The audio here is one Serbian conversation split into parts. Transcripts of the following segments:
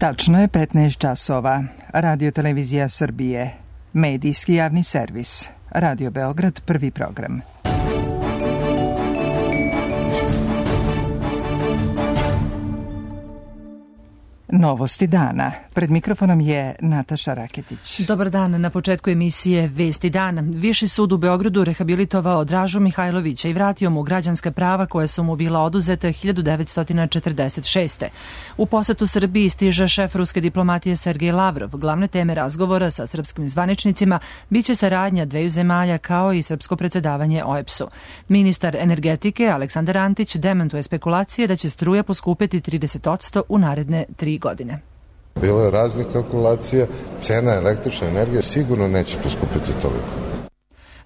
Tačno je 15 časova. Radio Televizija Srbije. Medijski javni servis. Radio Beograd, prvi program. Novosti dana. Pred mikrofonom je Nataša Raketić. Dobar dan. Na početku emisije Vesti dana. Viši sud u Beogradu rehabilitovao Dražu Mihajlovića i vratio mu građanska prava koja su mu bila oduzeta 1946. U posetu Srbiji stiže šef ruske diplomatije Sergej Lavrov. Glavne teme razgovora sa srpskim zvaničnicima biće saradnja dveju zemalja kao i srpsko predsedavanje OEBS-u. Ministar energetike Aleksandar Antić dementuje spekulacije da će struja poskupeti 30% u naredne 3 godine. Bilo je raznih kalkulacija, cena električne energije sigurno neće poskupiti toliko.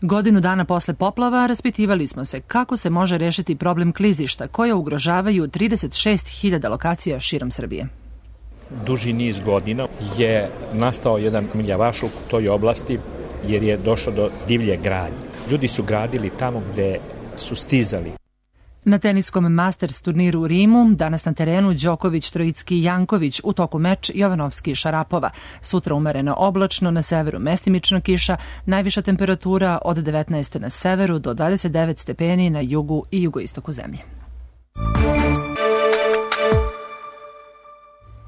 Godinu dana posle poplava raspitivali smo se kako se može rešiti problem klizišta koje ugrožavaju 36.000 lokacija širom Srbije. Duži niz godina je nastao jedan miljavašluk u toj oblasti jer je došlo do divlje gradnje. Ljudi su gradili tamo gde su stizali. Na teniskom Masters turniru u Rimu danas na terenu Đoković, Trojicki i Janković, u toku meč Jovanovski Šarapova. Sutra umereno oblačno, na severu mestimično kiša, najviša temperatura od 19 na severu do 29 stepeni na jugu i jugoistoku zemlje.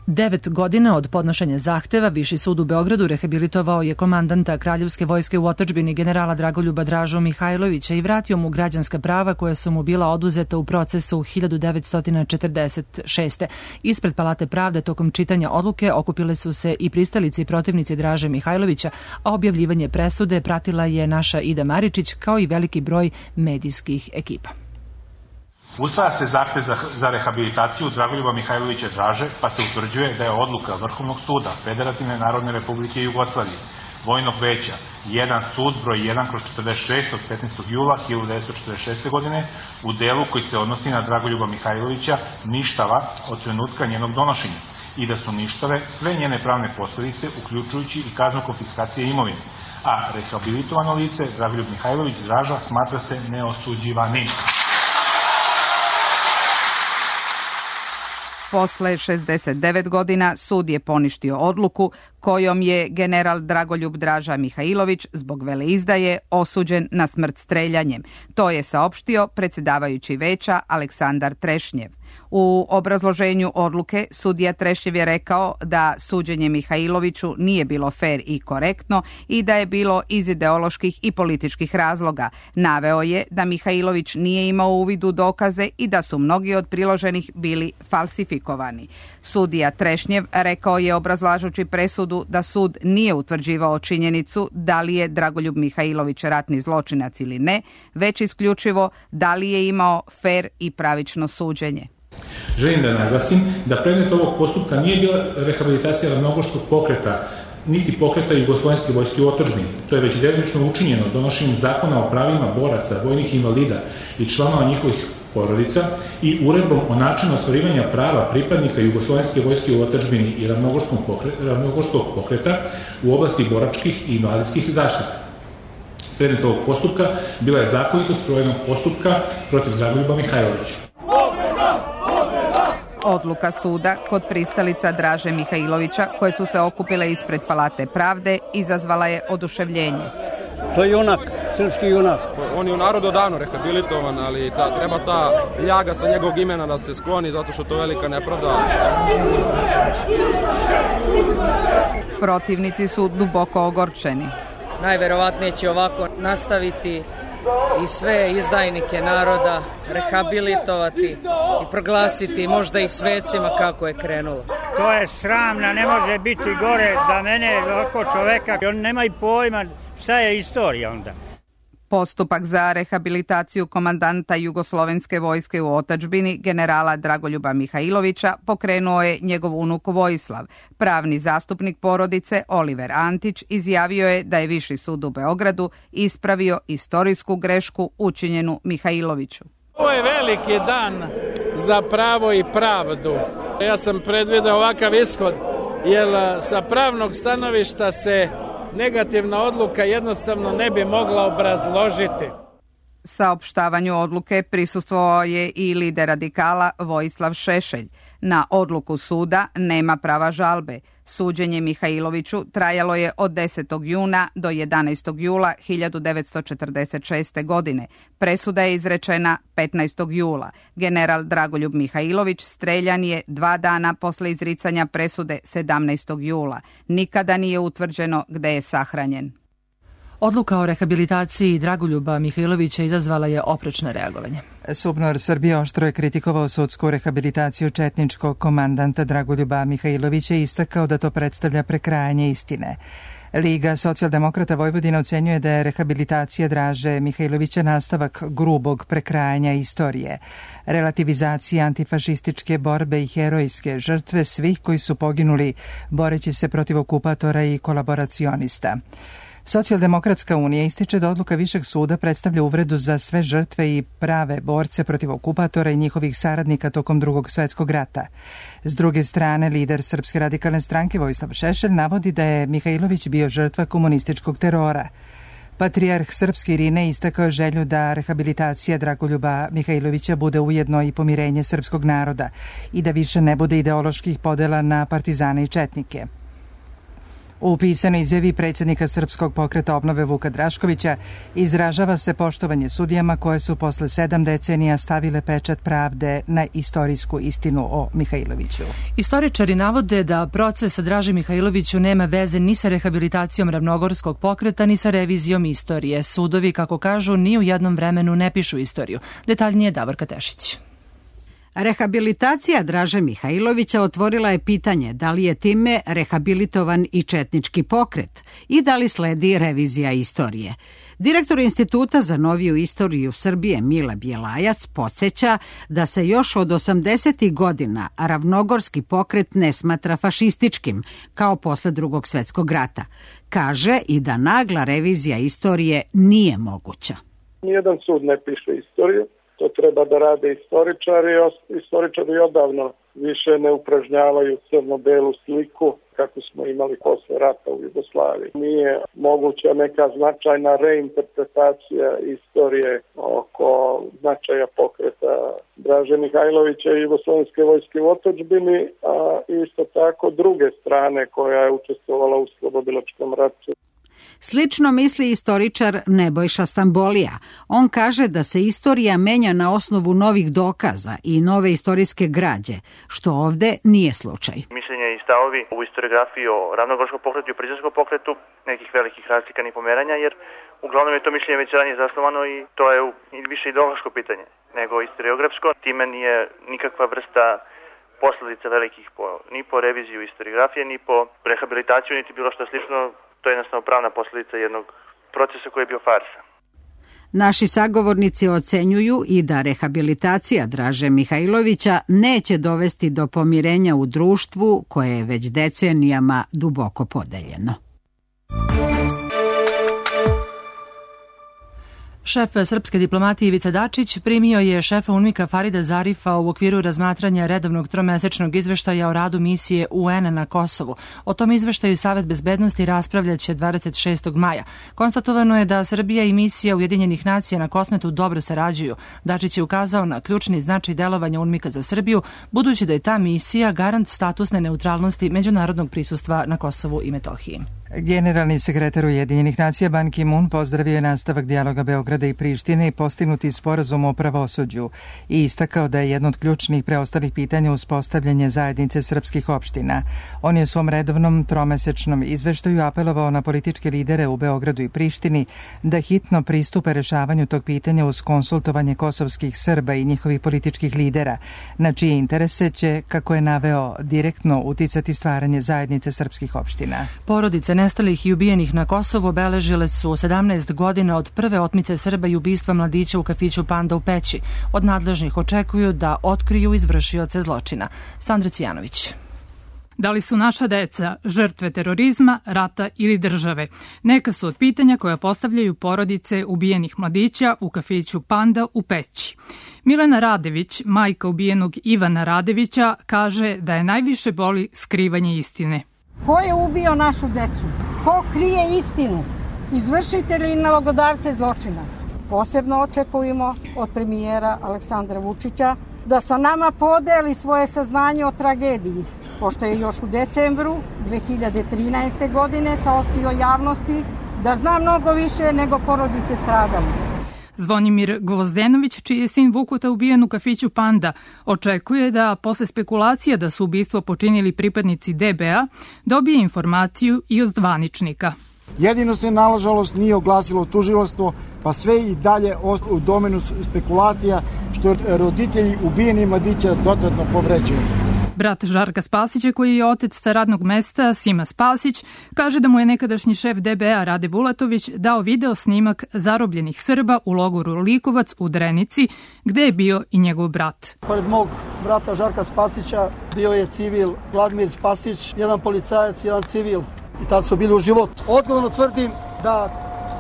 9 godina od podnošenja zahteva Viši sud u Beogradu rehabilitovao je komandanta Kraljevske vojske u otadžbini generala Dragoljuba Dražu Mihajlovića i vratio mu građanska prava koja su mu bila oduzeta u procesu 1946. Ispred Palate pravde tokom čitanja odluke okupile su se i pristalici i protivnici Draže Mihajlovića, a objavljivanje presude pratila je naša Ida Maričić kao i veliki broj medijskih ekipa. Usvaja se zahtev za rehabilitaciju Dragoljuba Mihajlovića Draže, pa se utvrđuje da je odluka Vrhovnog suda Federativne narodne republike Jugoslavije, Vojnog veća 1 sud broj 1/46 od 15. jula 1946. godine u delu koji se odnosi na Dragoljuba Mihajlovića ništava od trenutka njenog donošenja i da su ništave sve njene pravne posledice, uključujući i kaznu konfiskacije imovine, a rehabilitovano lice Dragoljub Mihajlović Draža smatra se neosuđivanim. Posle 69 godina sud je poništio odluku kojom je general Dragoljub Draža Mihajlović zbog veleizdaje osuđen na smrt streljanjem. To je saopštio predsjedavajući veća Aleksandar Trešnjev. U obrazloženju odluke sudija Trešnjev je rekao da suđenje Mihajloviću nije bilo fer i korektno i da je bilo iz ideoloških i političkih razloga. Naveo je da Mihajlović nije imao uvid u dokaze i da su mnogi od priloženih bili falsifikovani. Sudija Trešnjev rekao je obrazlažući presudu da sud nije utvrđivao činjenicu da li je Dragoljub Mihajlović ratni zločinac ili ne, već isključivo da li je imao fer i pravično suđenje. Želim da naglasim da predmet ovog postupka nije bila rehabilitacija ravnogorskog pokreta, niti pokreta Jugoslovenske vojske u otadžbini. To je već delimično učinjeno donošenjem zakona o pravima boraca, vojnih invalida i članova njihovih porodica i uredbom o načinu ostvarivanja prava pripadnika Jugoslovenske vojske u otadžbini i ravnogorskog pokreta u oblasti boračkih i invalidskih zaštita. Predmet ovog postupka bila je zakonitost sprovedenog postupka protiv Dragoljuba Mihajlovića. Odluka suda kod pristalica Draže Mihajlovića, koje su se okupile ispred Palate pravde, izazvala je oduševljenje. To je junak, srpski junak. On je u narodu davno rehabilitovan, ali treba ta ljaga sa njegovog imena da se skloni, zato što to je velika nepravda. Protivnici su duboko ogorčeni. Najverovatnije će ovako nastaviti i sve izdajnike naroda rehabilitovati i proglasiti možda i svecima kako je krenulo. To je sramno, ne može biti gore za mene ovako čoveka. On nema i pojma šta je istorija onda. Postupak za rehabilitaciju komandanta Jugoslovenske vojske u otadžbini generala Dragoljuba Mihajlovića pokrenuo je njegov unuk Vojislav. Pravni zastupnik porodice Oliver Antić izjavio je da je Viši sud u Beogradu ispravio istorijsku grešku učinjenu Mihajloviću. Ovo je veliki dan za pravo i pravdu. Ja sam predvideo ovakav ishod, jer sa pravnog stanovišta se negativna odluka jednostavno ne bi mogla obrazložiti. Saopštavanju odluke prisustvovao je i lider radikala Vojislav Šešelj. Na odluku suda nema prava žalbe. Suđenje Mihajloviću trajalo je od 10. juna do 11. jula 1946. godine. Presuda je izrečena 15. jula. General Dragoljub Mihajlović streljan je 2 dana posle izricanja presude 17. jula. Nikada nije utvrđeno gde je sahranjen. Odluka o rehabilitaciji Dragoljuba Mihajlovića izazvala je oprečno reagovanje. SUBNOR Srbije oštro je kritikovao sudsku rehabilitaciju četničkog komandanta Dragoljuba Mihajlovića i istakao da to predstavlja prekrajanje istine. Liga socijaldemokrata Vojvodine ocenjuje da je rehabilitacija Draže Mihajlovića nastavak grubog prekrajanja istorije, relativizacije antifašističke borbe i herojske žrtve svih koji su poginuli boreći se protiv okupatora i kolaboracionista. Socijaldemokratska unija ističe da odluka Višeg suda predstavlja uvredu za sve žrtve i prave borce protiv okupatora i njihovih saradnika tokom Drugog svetskog rata. S druge strane, lider Srpske radikalne stranke Vojislav Šešelj navodi da je Mihajlović bio žrtva komunističkog terora. Patrijarh Srpski Irine istakao želju da rehabilitacija Dragoljuba Mihajlovića bude ujedno i pomirenje srpskog naroda i da više ne bude ideoloških podela na partizane i četnike. U pisanoj izjavi predsjednika Srpskog pokreta obnove Vuka Draškovića izražava se poštovanje sudijama koje su posle 7 decenija stavile pečat pravde na istorijsku istinu o Mihajloviću. Istoričari navode da proces Draži Mihajloviću nema veze ni sa rehabilitacijom Ravnogorskog pokreta ni sa revizijom istorije. Sudovi, kako kažu, ni u jednom vremenu ne pišu istoriju. Detaljnije Davorka Tešić. Rehabilitacija Draže Mihajlovića otvorila je pitanje da li je time rehabilitovan i četnički pokret i da li sledi revizija istorije. Direktor Instituta za noviju istoriju Srbije Mile Bjelajac podsjeća da se još od 80. godina Ravnogorski pokret ne smatra fašističkim, kao posle Drugog svetskog rata. Kaže i da nagla revizija istorije nije moguća. Nijedan sud ne piše istoriju. To treba da rade istoričari. Istoričari odavno više ne upražnjavaju crno-belu sliku kako smo imali posle rata u Jugoslaviji. Nije moguća neka značajna reinterpretacija istorije oko značaja pokreta Draže Mihajlovića i Jugoslovenske vojske u otadžbini, a isto tako druge strane koja je učestvovala u slobodilačkom ratu. Slično misli istoričar Nebojša Stambolija. On kaže da se istorija menja na osnovu novih dokaza i nove istorijske građe, što ovde nije slučaj. Mišljenje i stavovi u istoriografiji o Ravnogorskom pokretu i o Prizrenskom pokretu nekih velikih razlika ni pomeranja, jer uglavnom je to mišljenje već ranije zasnovano i to je više ideološko pitanje nego istoriografsko. Time nije nikakva vrsta posledica velikih ni po reviziju istoriografije, ni po rehabilitaciju, niti bilo što slično. To je jednostavno pravna posljedica jednog procesa koji je bio farsa. Naši sagovornici ocenjuju i da rehabilitacija Draže Mihajlovića neće dovesti do pomirenja u društvu koje je već decenijama duboko podeljeno. Šef srpske diplomatije Ivica Dačić primio je šefa UNMIK-a Farida Zarifa u okviru razmatranja redovnog tromesečnog izveštaja o radu misije UN na Kosovu. O tom izveštaju Savet bezbednosti raspravljaće 26. maja. Konstatovano je da Srbija i misija Ujedinjenih nacija na Kosmetu dobro sarađuju. Dačić je ukazao na ključni značaj delovanja UNMIK-a za Srbiju, budući da je ta misija garant statusne neutralnosti međunarodnog prisustva na Kosovu i Metohiji. Generalni sekretar Ujedinjenih nacija Ban Ki-moon pozdravio je nastavak dijaloga Beograda i Prištine i postignuti sporazum o pravosuđu i istakao da je jedno od ključnih preostalih pitanja uspostavljanje zajednice srpskih opština. On je u svom redovnom tromesečnom izveštaju apelovao na političke lidere u Beogradu i Prištini da hitno pristupe rešavanju tog pitanja uz konsultovanje kosovskih Srba i njihovih političkih lidera, na čije interese će, kako je naveo, direktno uticati stvaranje zajednice srpskih opština. Porodice nestalih i ubijenih na Kosovu obeležile su 17 godina od prve otmice Srba i ubistva mladića u kafiću Panda u Peći. Od nadležnih očekuju da otkriju izvršioce zločina. Sandra Cvijanović. Da li su naša deca žrtve terorizma, rata ili države? Neka su od pitanja koja postavljaju porodice ubijenih mladića u kafiću Panda u Peći. Milena Radević, majka ubijenog Ivana Radevića, kaže da je najviše boli skrivanje istine. Ko je ubio našu decu? Ko krije istinu? Izvršitelji i nalogodavce zločina. Posebno očekujemo od premijera Aleksandra Vučića da sa nama podeli svoje saznanje o tragediji, pošto je još u decembru 2013. godine saopštio javnosti da zna mnogo više nego porodice stradalih. Zvonimir Gvozdenović, čiji je sin Vukuta ubijen u kafiću Panda, očekuje da, posle spekulacija da su ubistvo počinili pripadnici DBA, dobije informaciju i od zvaničnika. Jedino se, nažalost, nije oglasilo tužilaštvo, pa sve i dalje u domenu spekulacija, što roditelji ubijenih mladića dodatno povređuju. Brat Žarka Spasića, koji je otec sa radnog mesta, Sima Spasić, kaže da mu je nekadašnji šef DBA Rade Bulatović dao video snimak zarobljenih Srba u logoru Likovac u Drenici, gde je bio i njegov brat. Pored mog brata Žarka Spasića bio je civil Vladimir Spasić, jedan policajac, jedan civil, i tad su bili u životu. Odgovorno tvrdim da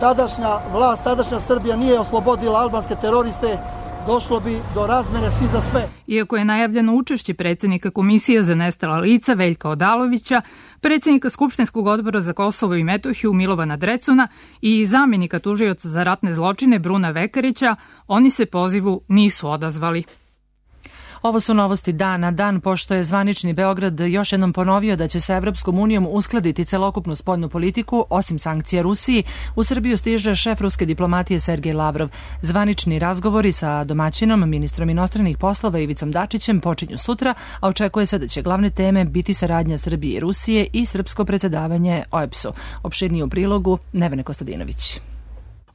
tadašnja vlast, tadašnja Srbija nije oslobodila albanske teroriste, došlo bi do razmene svi za sve. Iako je najavljeno učešće predsjednika Komisije za nestala lica Veljka Odalovića, predsjednika Skupštinskog odbora za Kosovo i Metohiju Milovana Drecuna i zamjenika tužioca za ratne zločine Bruna Vekarića, oni se pozivu nisu odazvali. Ovo su novosti dana, dan pošto je zvanični Beograd još jednom ponovio da će sa Evropskom unijom uskladiti celokupnu spoljnu politiku, osim sankcija Rusiji. U Srbiju stiže šef ruske diplomatije Sergej Lavrov. Zvanični razgovori sa domaćinom, ministrom inostranih poslova Ivicom Dačićem počinju sutra, a očekuje se da će glavne teme biti saradnja Srbije i Rusije i srpsko predsjedavanje OEBS-u. Opširnije u prilogu Nevene Kostadinović.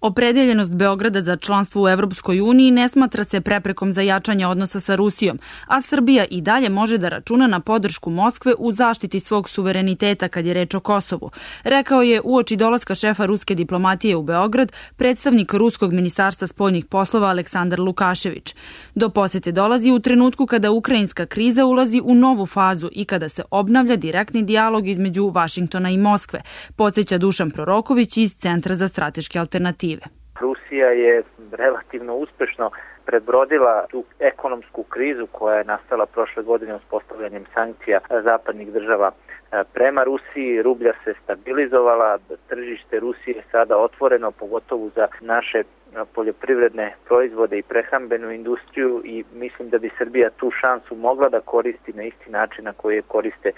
Opredeljenost Beograda za članstvo u Evropskoj uniji ne smatra se preprekom za jačanje odnosa sa Rusijom, a Srbija i dalje može da računa na podršku Moskve u zaštiti svog suvereniteta kad je reč o Kosovu, rekao je uoči dolaska šefa ruske diplomatije u Beograd predstavnik Ruskog ministarstva spoljnih poslova Aleksandar Lukašević. Do posete dolazi u trenutku kada ukrajinska kriza ulazi u novu fazu i kada se obnavlja direktni dijalog između Vašingtona i Moskve, podsjeća Dušan Proroković iz Centra za strateške alternative. Rusija je relativno uspešno prebrodila tu ekonomsku krizu koja je nastala prošle godine uspostavljanjem sankcija zapadnih država prema Rusiji. Rublja se stabilizovala, tržište Rusije je sada otvoreno, pogotovo za naše poljoprivredne proizvode i prehrambenu industriju, i mislim da bi Srbija tu šansu mogla da koristi na isti način na koji je koriste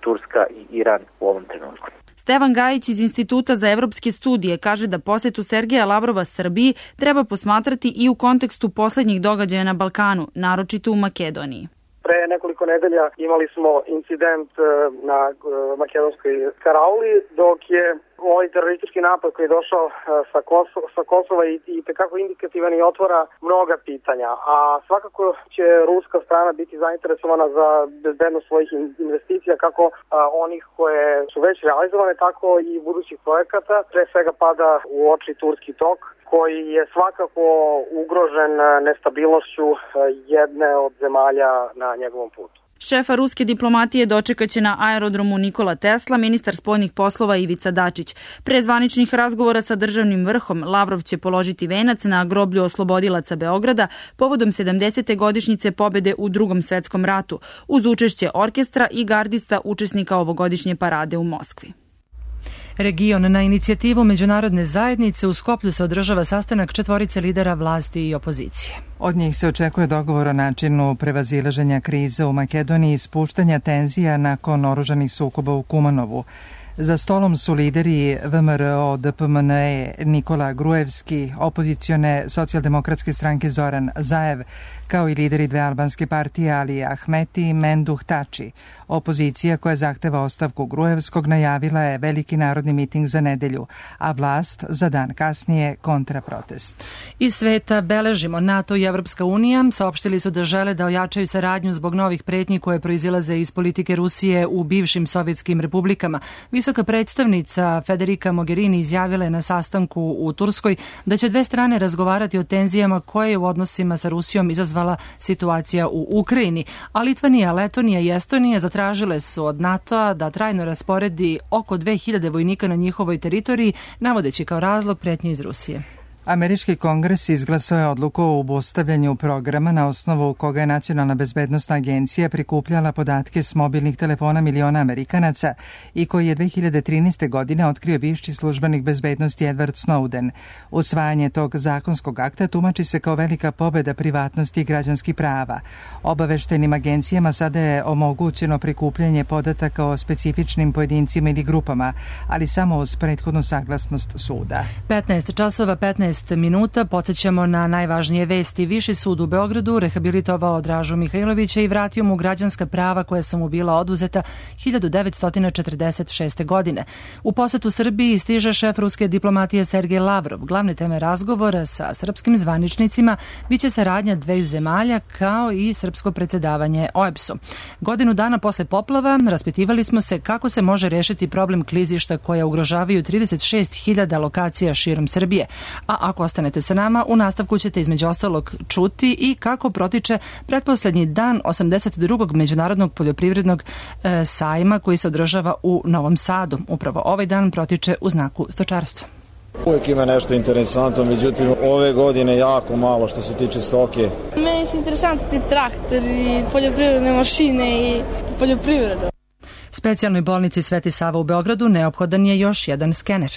Turska i Iran u ovom trenutku. Stevan Gajić iz Instituta za evropske studije kaže da posetu Sergeja Lavrova Srbiji treba posmatrati i u kontekstu poslednjih događaja na Balkanu, naročito u Makedoniji. Pre nekoliko nedelja imali smo incident na makedonskoj Karauli, dok je ovaj teroristički napad koji je došao sa Kosova i tekako indikativan i otvara mnoga pitanja. A svakako će ruska strana biti zainteresovana za bezbednost svojih investicija, kako onih koje su već realizovane, tako i budućih projekata. Pre svega pada u oči turski tok, koji je svakako ugrožen nestabilnošću jedne od zemalja na njegovom putu. Šefa ruske diplomatije dočekaće na aerodromu Nikola Tesla ministar spoljnih poslova Ivica Dačić. Pre zvaničnih razgovora sa državnim vrhom Lavrov će položiti venac na groblju oslobodilaca Beograda povodom 70. godišnjice pobede u Drugom svetskom ratu, uz učešće orkestra i gardista učesnika ovogodišnje parade u Moskvi. Region na inicijativu međunarodne zajednice u Skoplju se održava sastanak četvorice lidera vlasti i opozicije. Od njih se očekuje dogovor o načinu prevazilaženja krize u Makedoniji i spuštanja tenzija nakon oružanih sukoba u Kumanovu. Za stolom su lideri VMRO, DPMNE, Nikola Gruevski, opozicione socijaldemokratske stranke Zoran Zaev, kao i lideri dve albanske partije Ali Ahmeti i Menduh Tači. Opozicija koja zahteva ostavku Gruevskog najavila je veliki narodni miting za nedelju, a vlast za dan kasnije kontraprotest. Iz sveta beležimo NATO i Evropska unija saopštili su da žele da ojačaju saradnju zbog novih pretnji koje proizilaze iz politike Rusije u bivšim sovjetskim republikama. Visoka predstavnica Federica Mogherini izjavila je na sastanku u Turskoj da će dve strane razgovarati o tenzijama koje je u odnosima sa Rusijom izazvala situacija u Ukrajini, a Litvanija, Letonija i Estonija zatražile su od NATO-a da trajno rasporedi oko 2000 vojnika na njihovoj teritoriji, navodeći kao razlog pretnje iz Rusije. Američki kongres izglasao je odluku o obustavljanju programa na osnovu koga je Nacionalna bezbednosna agencija prikupljala podatke s mobilnih telefona miliona Amerikanaca i koji je 2013. godine otkrio bivši službenik bezbednosti Edward Snowden. Usvajanje tog zakonskog akta tumači se kao velika pobeda privatnosti i građanskih prava. Obaveštajnim agencijama sada je omogućeno prikupljanje podataka o specifičnim pojedincima ili grupama, ali samo uz prethodnu saglasnost suda. 15 časova 15 minuta, podsjećamo na najvažnije vesti. Viši sud u Beogradu rehabilitovao Dražu Mihajlovića i vratio mu građanska prava koja su mu bila oduzeta 1946. godine. U posetu Srbiji stiže šef ruske diplomatije Sergej Lavrov. Glavne teme razgovora sa srpskim zvaničnicima biće saradnja dveju zemalja kao i srpsko predsjedavanje OEBS-om. Godinu dana posle poplava raspitivali smo se kako se može rešiti problem klizišta koja ugrožavaju 36.000 lokacija širom Srbije. A ako ostanete sa nama, u nastavku ćete između ostalog čuti i kako protiče pretposlednji dan 82. Međunarodnog poljoprivrednog sajma koji se održava u Novom Sadu. Upravo ovaj dan protiče u znaku stočarstva. Uvijek ima nešto interesantno, međutim ove godine jako malo što se tiče stoke. Meni su interesantni traktori, poljoprivredne mašine i poljoprivreda. Specijalnoj bolnici Sveti Sava u Beogradu neophodan je još jedan skener.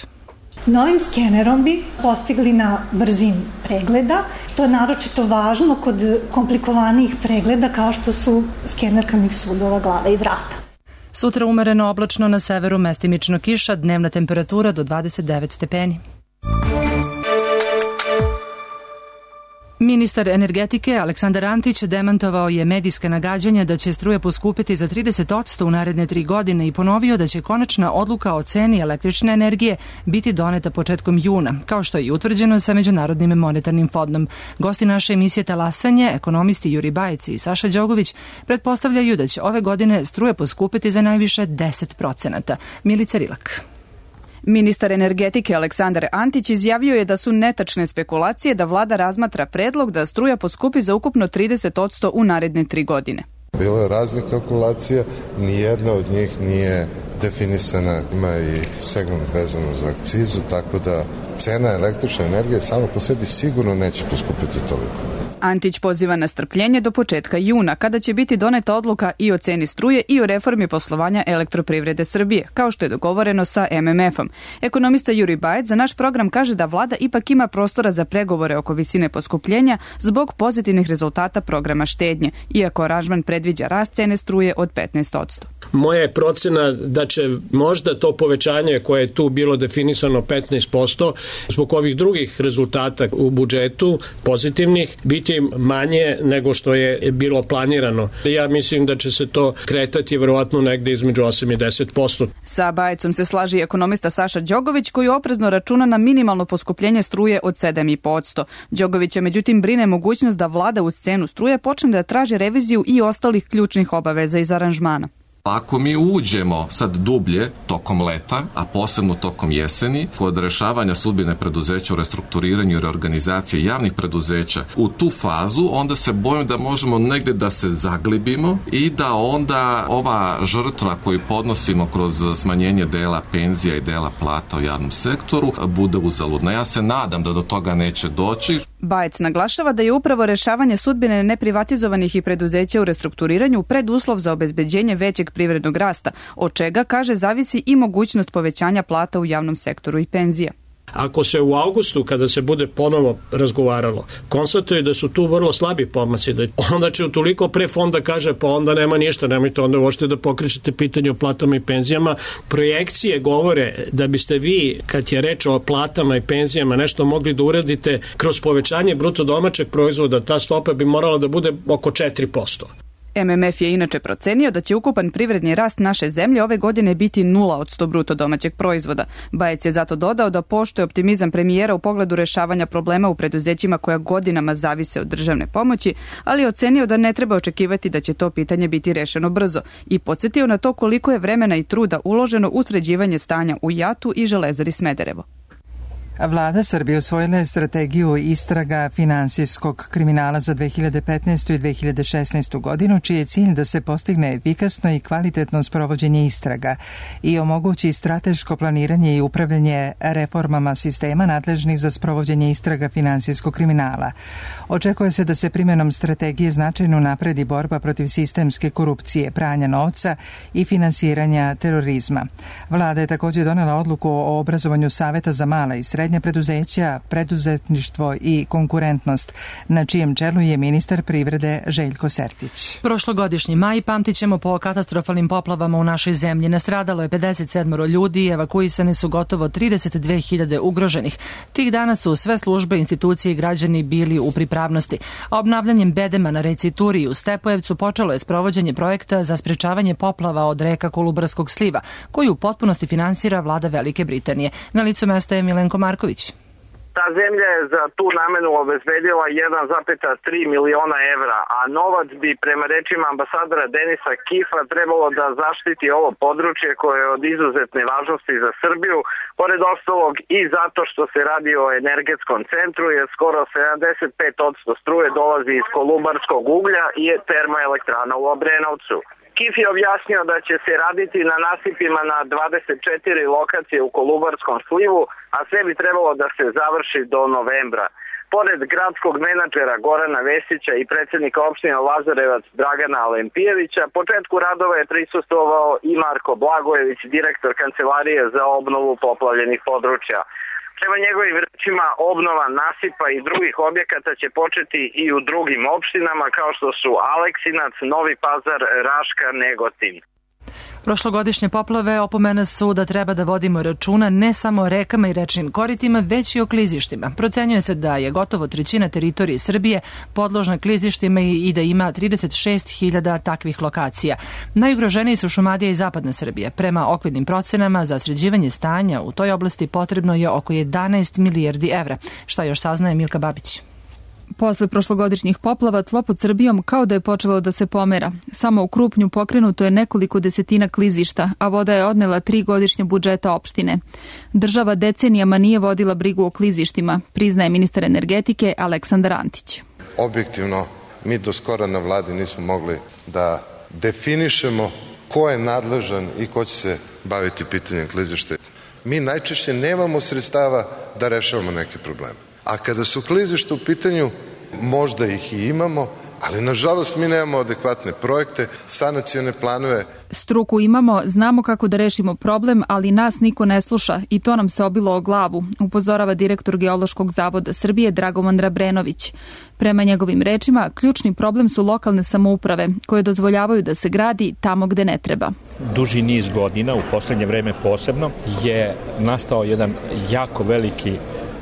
Novim skenerom bi postigli na brzinu pregleda. To je naročito važno kod komplikovanijih pregleda kao što su skener krvnih sudova, glave i vrata. Sutra umereno oblačno, na severu mestimično kiša, dnevna temperatura do 29 stepeni. Ministar energetike Aleksandar Antić demantovao je medijska nagađanja da će struja poskupiti za 30% u naredne 3 godine i ponovio da će konačna odluka o ceni električne energije biti doneta početkom juna, kao što je i utvrđeno sa Međunarodnim monetarnim fondom. Gosti naše emisije Talasanje, ekonomisti Juri Bajec i Saša Đogović, pretpostavljaju da će ove godine struja poskupiti za najviše 10%. Milica Rilak. Ministar energetike Aleksandar Antić izjavio je da su netačne spekulacije da vlada razmatra predlog da struja poskupi za ukupno 30% u naredne 3 godine. Bilo je raznih kalkulacija, nijedna od njih nije definisana, ima i segment vezano za akcizu, tako da cena električne energije samo po sebi sigurno neće poskupiti toliko. Antić poziva na strpljenje do početka juna, kada će biti doneta odluka i o ceni struje i o reformi poslovanja Elektroprivrede Srbije, kao što je dogovoreno sa MMF-om. Ekonomista Juri Bajec za naš program kaže da vlada ipak ima prostora za pregovore oko visine poskupljenja zbog pozitivnih rezultata programa štednje, iako aranžman predviđa rast cene struje od 15%. Moja je procena da će možda to povećanje koje je tu bilo definisano 15% zbog ovih drugih rezultata u budžetu pozitivnih biti manje nego što je bilo planirano. Ja mislim da će se to kretati verovatno negde između 8 i 10%. Sa Bajecom se slaži ekonomista Saša Đogović koji oprezno računa na minimalno poskupljenje struje od 7,5%. Đogovića međutim brine mogućnost da vlada uz cenu struje počne da traži reviziju i ostalih ključnih obaveza iz aranžmana. Ako mi uđemo sad dublje tokom leta, a posebno tokom jeseni, kod rešavanja sudbine preduzeća u restrukturiranju i reorganizaciji javnih preduzeća u tu fazu, onda se bojim da možemo negde da se zaglibimo i da onda ova žrtva koju podnosimo kroz smanjenje dela penzija i dela plata u javnom sektoru bude uzaludna. Ja se nadam da do toga neće doći. Bajec naglašava da je upravo rešavanje sudbine neprivatizovanih i preduzeća u restrukturiranju preduslov za obezbeđenje većeg privrednog rasta, od čega, kaže, zavisi i mogućnost povećanja plata u javnom sektoru i penzija. Ako se u avgustu, kada se bude ponovo razgovaralo, konstatuje da su tu vrlo slabi pomaci, da onda će utoliko pre fonda kaže pa onda nema ništa, nemojte onda uopšte da pokrećete pitanje o platama i penzijama. Projekcije govore da biste vi, kad je reč o platama i penzijama, nešto mogli da uradite kroz povećanje bruto domaćeg proizvoda, ta stopa bi morala da bude oko 4%. MMF je inače procenio da će ukupan privredni rast naše zemlje ove godine biti 0% bruto domaćeg proizvoda. Bajec je zato dodao da poštuje optimizam premijera u pogledu rešavanja problema u preduzećima koja godinama zavise od državne pomoći, ali je ocenio da ne treba očekivati da će to pitanje biti rešeno brzo i podsjetio na to koliko je vremena i truda uloženo u sređivanje stanja u JAT-u i Železari Smederevo. Vlada Srbije usvojila je strategiju istraga finansijskog kriminala za 2015. i 2016. godinu, čiji je cilj da se postigne efikasno i kvalitetno sprovođenje istraga i omogući strateško planiranje i upravljanje reformama sistema nadležnih za sprovođenje istraga finansijskog kriminala. Očekuje se da se primjenom strategije značajno napredi borba protiv sistemske korupcije, pranja novca i finansiranja terorizma. Vlada je također donela odluku o obrazovanju Saveta za mala i srednja preduzeća, preduzetništvo i konkurentnost, na čijem čelu je ministar privrede Željko Sertić. Prošlogodišnji maj pamtit ćemo po katastrofalnim poplavama u našoj zemlji. Nastradalo je 57 ljudi i evakuisane su gotovo 32.000 ugroženih. Tih dana su sve službe, institucije i građani bili u pripravnosti. A obnavljanjem bedema na reci Turi u Stepojevcu počelo je sprovođenje projekta za sprečavanje poplava od reka Kolubarskog sliva, koju u potpunosti finansira vlada Velike Britanije. Na licu mesta je Milenko Marković. Ta zemlja je za tu namenu obezbedila 1,3 miliona evra, a novac bi prema rečima ambasadora Denisa Kifa trebalo da zaštiti ovo područje koje je od izuzetne važnosti za Srbiju, pored ostalog i zato što se radi o energetskom centru, jer skoro 75% struje dolazi iz kolubarskog uglja i je termoelektrana u Obrenovcu. Kif je objasnio da će se raditi na nasipima na 24 lokacije u Kolubarskom slivu, a sve bi trebalo da se završi do novembra. Pored gradskog menadžera Gorana Vesića i predsjednika opštine Lazarevac Dragana Alempijevića, početku radova je prisustvovao i Marko Blagojević, direktor Kancelarije za obnovu poplavljenih područja. Prema njegovim rečima, obnova nasipa i drugih objekata će početi i u drugim opštinama kao što su Aleksinac, Novi Pazar, Raška, Negotin. Prošlogodišnje poplave opomene su da treba da vodimo računa ne samo o rekama i rečnim koritima, već i o klizištima. Procenjuje se da je gotovo trećina teritorije Srbije podložna klizištima i da ima 36.000 takvih lokacija. Najugroženiji su Šumadija i Zapadna Srbija. Prema okvirnim procenama za sređivanje stanja u toj oblasti potrebno je oko 11 milijardi evra. Šta još saznaje Milka Babić? Posle prošlogodišnjih poplava tlo pod Srbijom kao da je počelo da se pomera. Samo u Krupnju pokrenuto je nekoliko desetina klizišta, a voda je odnela 3 godišnja budžeta opštine. Država decenijama nije vodila brigu o klizištima, priznaje ministar energetike Aleksandar Antić. Objektivno, mi do skora na vladi nismo mogli da definišemo ko je nadležan i ko će se baviti pitanjem klizišta. Mi najčešće nemamo sredstava da rešavamo neke probleme. A kada su klizišta u pitanju, možda ih i imamo, ali nažalost mi nemamo adekvatne projekte, sanacione planove. Struku imamo, znamo kako da rešimo problem, ali nas niko ne sluša i to nam se obilo o glavu, upozorava direktor Geološkog zavoda Srbije Dragoman Rabrenović. Prema njegovim rečima, ključni problem su lokalne samouprave koje dozvoljavaju da se gradi tamo gde ne treba. Duži niz godina, u poslednje vreme posebno, je nastao jedan jako veliki,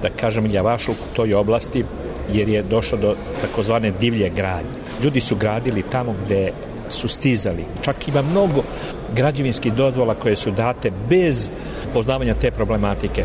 da kažem, javašluk u toj oblasti, jer je došlo do takozvane divlje gradnje. Ljudi su gradili tamo gde su stizali. Čak ima mnogo građevinskih dozvola koje su date bez poznavanja te problematike.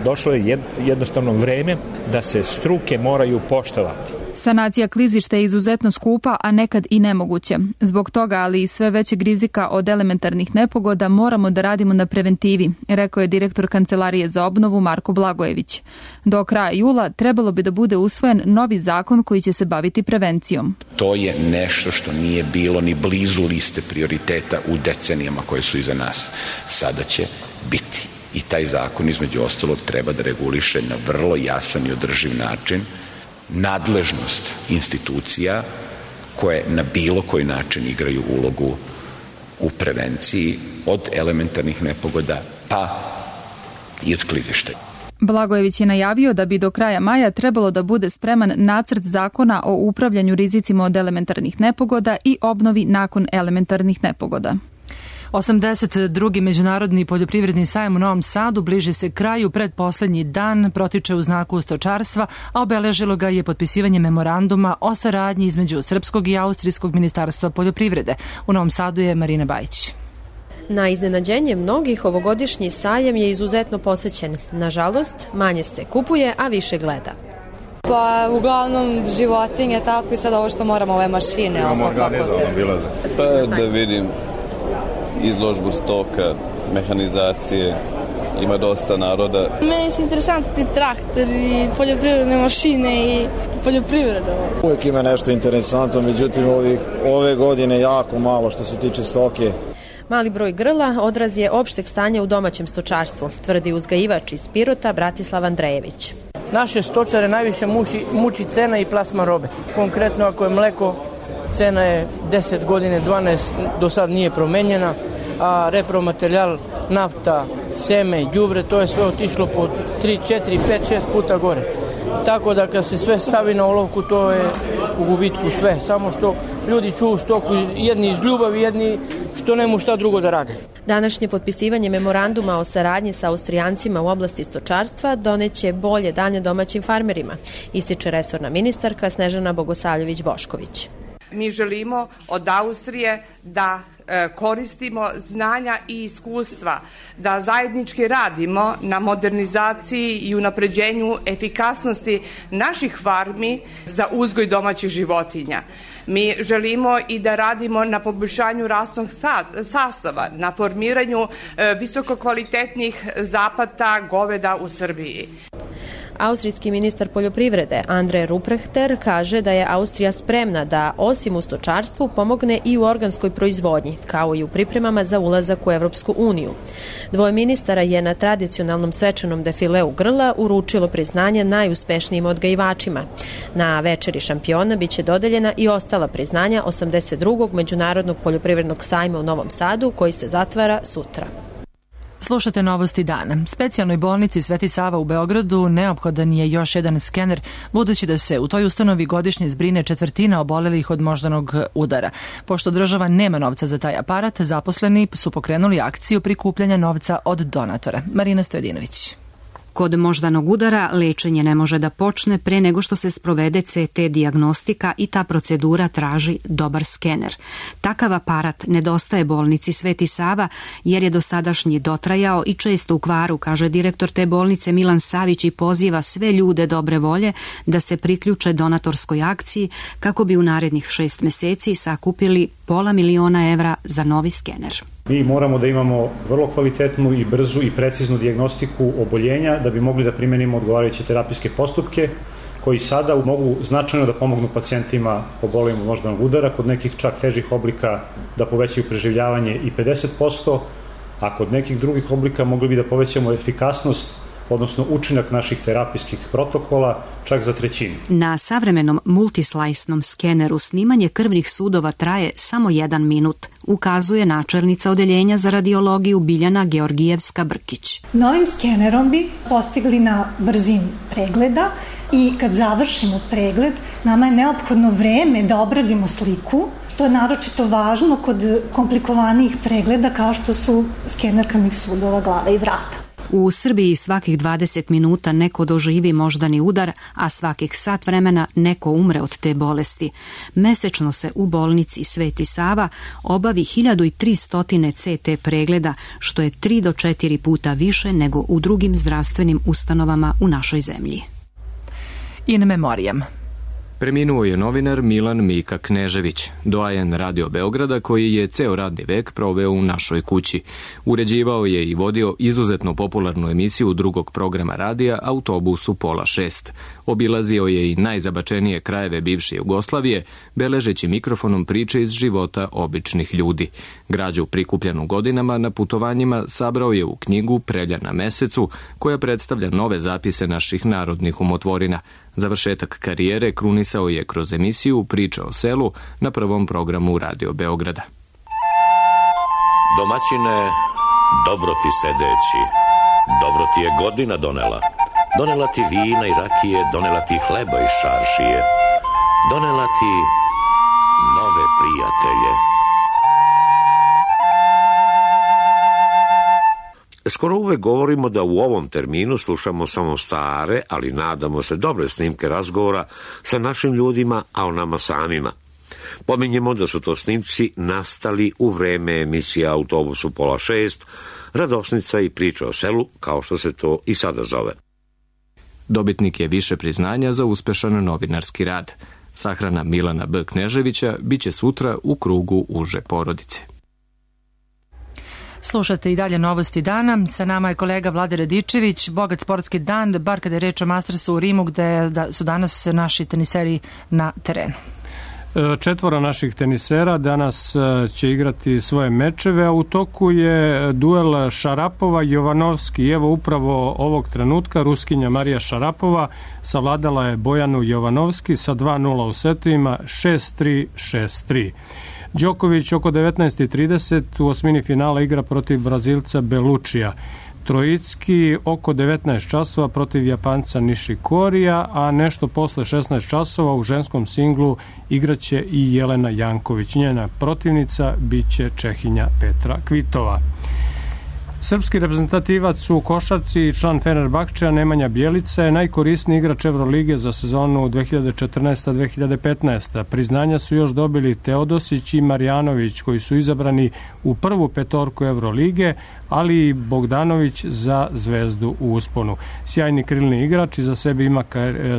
Došlo je jednostavno vreme da se struke moraju poštovati. Sanacija klizišta je izuzetno skupa, a nekad i nemoguća. Zbog toga, ali i sve većeg rizika od elementarnih nepogoda, moramo da radimo na preventivi, rekao je direktor Kancelarije za obnovu Marko Blagojević. Do kraja jula trebalo bi da bude usvojen novi zakon koji će se baviti prevencijom. To je nešto što nije bilo ni blizu liste prioriteta u decenijama koje su iza nas. Sada će biti. I taj zakon, između ostalog, treba da reguliše na vrlo jasan i održiv način nadležnost institucija koje na bilo koji način igraju ulogu u prevenciji od elementarnih nepogoda pa i od klizišta. Blagojević je najavio da bi do kraja maja trebalo da bude spreman nacrt zakona o upravljanju rizicima od elementarnih nepogoda i obnovi nakon elementarnih nepogoda. 82. Međunarodni poljoprivredni sajam u Novom Sadu bliži se kraju, predposlednji dan protiče u znaku stočarstva, a obeležilo ga je potpisivanje memoranduma o saradnji između Srpskog i Austrijskog ministarstva poljoprivrede. U Novom Sadu je Marina Bajić. Na iznenađenje mnogih, ovogodišnji sajam je izuzetno posećen. Nažalost, manje se kupuje, a više gleda. Pa uglavnom životinje, tako i sad ovo što moramo, ove mašine. Imamo organizovano bilaze. Pa da vidim izložbu stoka, mehanizacije ima dosta naroda. Meni su interesantni traktori, poljoprivredne mašine i poljoprivreda. Uvijek ima nešto interesantno, međutim ove godine jako malo što se tiče stoke. Mali broj grla odraz je opšteg stanja u domaćem stočarstvu, tvrdi uzgajivač iz Pirota Bratislav Andrejević. Naše stočare najviše muči cena i plasman robe. Konkretno ako je mleko, cena je 10 godine, 12 do sad nije promenjena, a repromaterijal, nafta, seme, đubre, to je sve otišlo po 3, 4, 5, 6 puta gore. Tako da kad se sve stavi na olovku, to je u gubitku sve. Samo što ljudi čuju stoku, jedni iz ljubavi, jedni što nemu šta drugo da rade. Današnje potpisivanje memoranduma o saradnji sa Austrijancima u oblasti stočarstva doneće bolje dane domaćim farmerima, ističe resorna ministarka Snežana Bogosavljević-Bošković. Mi želimo od Austrije da koristimo znanja i iskustva, da zajednički radimo na modernizaciji i unapređenju efikasnosti naših farmi za uzgoj domaćih životinja. Mi želimo i da radimo na poboljšanju rasnog sastava, na formiranju visokokvalitetnih zapata goveda u Srbiji. Austrijski ministar poljoprivrede Andre Rupprechter kaže da je Austrija spremna da osim u stočarstvu pomogne i u organskoj proizvodnji, kao i u pripremama za ulazak u Evropsku uniju. Dvoje ministara je na tradicionalnom svečanom defileu grla uručilo priznanje najuspešnijim odgajivačima. Na večeri šampiona biće dodeljena i ostala priznanja 82. Međunarodnog poljoprivrednog sajma u Novom Sadu, koji se zatvara sutra. Slušate novosti dana. Specijalnoj bolnici Sveti Sava u Beogradu neophodan je još jedan skener, budući da se u toj ustanovi godišnje zbrine 1/4 obolelih od moždanog udara. Pošto država nema novca za taj aparat, zaposleni su pokrenuli akciju prikupljanja novca od donatora. Marina Stojedinović. Kod moždanog udara lečenje ne može da počne pre nego što se sprovede CT dijagnostika i ta procedura traži dobar skener. Takav aparat nedostaje bolnici Sveti Sava jer je dosadašnji dotrajao i često u kvaru, kaže direktor te bolnice Milan Savić, i poziva sve ljude dobre volje da se priključe donatorskoj akciji kako bi u narednih 6 meseci sakupili $500.000 evra za novi skener. Mi moramo da imamo vrlo kvalitetnu i brzu i preciznu dijagnostiku oboljenja da bi mogli da primenimo odgovarajuće terapijske postupke koji sada mogu značajno da pomognu pacijentima obolelim od moždanog udara, kod nekih čak težih oblika da povećaju preživljavanje i 50%, a kod nekih drugih oblika mogli bi da povećamo efikasnost, odnosno učinak naših terapijskih protokola čak za 1/3. Na savremenom multislajsnom skeneru snimanje krvnih sudova traje samo 1 minut, ukazuje načelnica odeljenja za radiologiju Biljana Georgijevska-Brkić. Novim skenerom bi postigli na brzini pregleda i kad završimo pregled, nama je neophodno vreme da obradimo sliku. To je naročito važno kod komplikovanijih pregleda kao što su skener krvnih sudova glave i vrata. U Srbiji svakih 20 minuta neko doživi moždani udar, a svakih sat vremena neko umre od te bolesti. Mesečno se u bolnici Sveti Sava obavi 1300 CT pregleda, što je 3 do 4 puta više nego u drugim zdravstvenim ustanovama u našoj zemlji. In memoriam. Preminuo je novinar Milan Mika Knežević, doajen Radio Beograda koji je ceo radni vek proveo u našoj kući. Uređivao je i vodio izuzetno popularnu emisiju drugog programa radija Autobus u 5:30. Obilazio je i najzabačenije krajeve bivše Jugoslavije, beležeći mikrofonom priče iz života običnih ljudi. Građu prikupljenu godinama na putovanjima sabrao je u knjigu Prelja na mesecu, koja predstavlja nove zapise naših narodnih umotvorina. Završetak karijere krunisao je kroz emisiju Priča o selu na prvom programu Radio Beograda. Domaćine, dobro ti sedeći, dobro ti je godina donela. Donela ti vina i rakije, donela ti hleba i šaršije, donela ti nove prijatelje. Skoro uvek govorimo da u ovom terminu slušamo samo stare, ali nadamo se dobre snimke razgovora sa našim ljudima, a o nama samima. Pominjemo da su to snimci nastali u vreme emisija Autobus u 5:30, Radosnica i Priča o selu, kao što se to i sada zove. Dobitnik je više priznanja za uspešan novinarski rad. Sahrana Milana B. Kneževića biće sutra u krugu uže porodice. Slušate i dalje novosti dana. Sa nama je kolega Vlade Radičević. Bogat sportski dan, bar kada je reč o Mastersu u Rimu, gde su danas naši teniseri na terenu. 4 naših tenisera danas će igrati svoje mečeve, a u toku je duel Šarapova-Jovanovski. Evo upravo ovog trenutka Ruskinja Marija Šarapova savladala je Bojanu Jovanovski sa 2-0 u setovima, 6-3, 6-3. Đoković oko 19:30 u osmini finala igra protiv Brazilca Belučija. Trojicki oko 19 časova protiv Japanca Nishikorija, a nešto posle 16 časova u ženskom singlu igraće i Jelena Janković. Njena protivnica biće Čehinja Petra Kvitova. Srpski reprezentativac u košarci i član Fenerbahčeja Nemanja Bjelica je najkorisniji igrač Evrolige za sezonu 2014-2015. Priznanja su još dobili Teodosić i Marjanović, koji su izabrani u prvu petorku Evrolige, ali i Bogdanović za Zvezdu u usponu. Sjajni krilni igrač iza sebe ima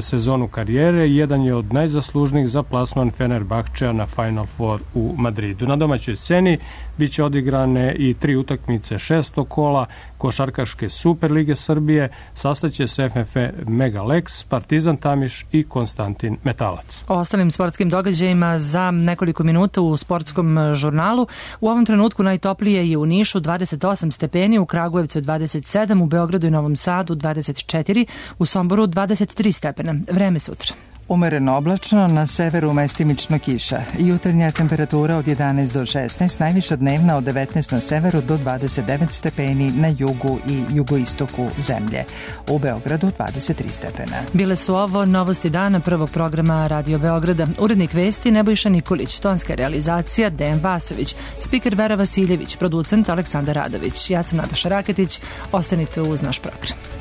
sezonu karijere i jedan je od najzaslužnijih za plasman Fenerbahčeja na Final Four u Madridu. Na domaćoj sceni biće odigrane i 3 utakmice 6. kola Košarkaške Superlige Srbije. Sastaće se FNF Megalex, Partizan Tamiš i Konstantin Metalac. O ostalim sportskim događajima za nekoliko minuta u sportskom žurnalu. U ovom trenutku najtoplije je u Nišu 28 stepeni, u Kragujevcu 27, u Beogradu i Novom Sadu 24, u Somboru 23 stepena. Vreme sutra. Umereno oblačno, na severu mestimično kiša. Jutarnja temperatura od 11 do 16, najviša dnevna od 19 na severu do 29 stepeni na jugu i jugoistoku zemlje. U Beogradu 23 stepena. Bile su ovo novosti dana prvog programa Radio Beograda. Urednik vesti Nebojša Nikolić, tonska realizacija Dejan Vasović, spiker Vera Vasiljević, producent Aleksandar Radović. Ja sam Nataša Raketić, ostanite uz naš program.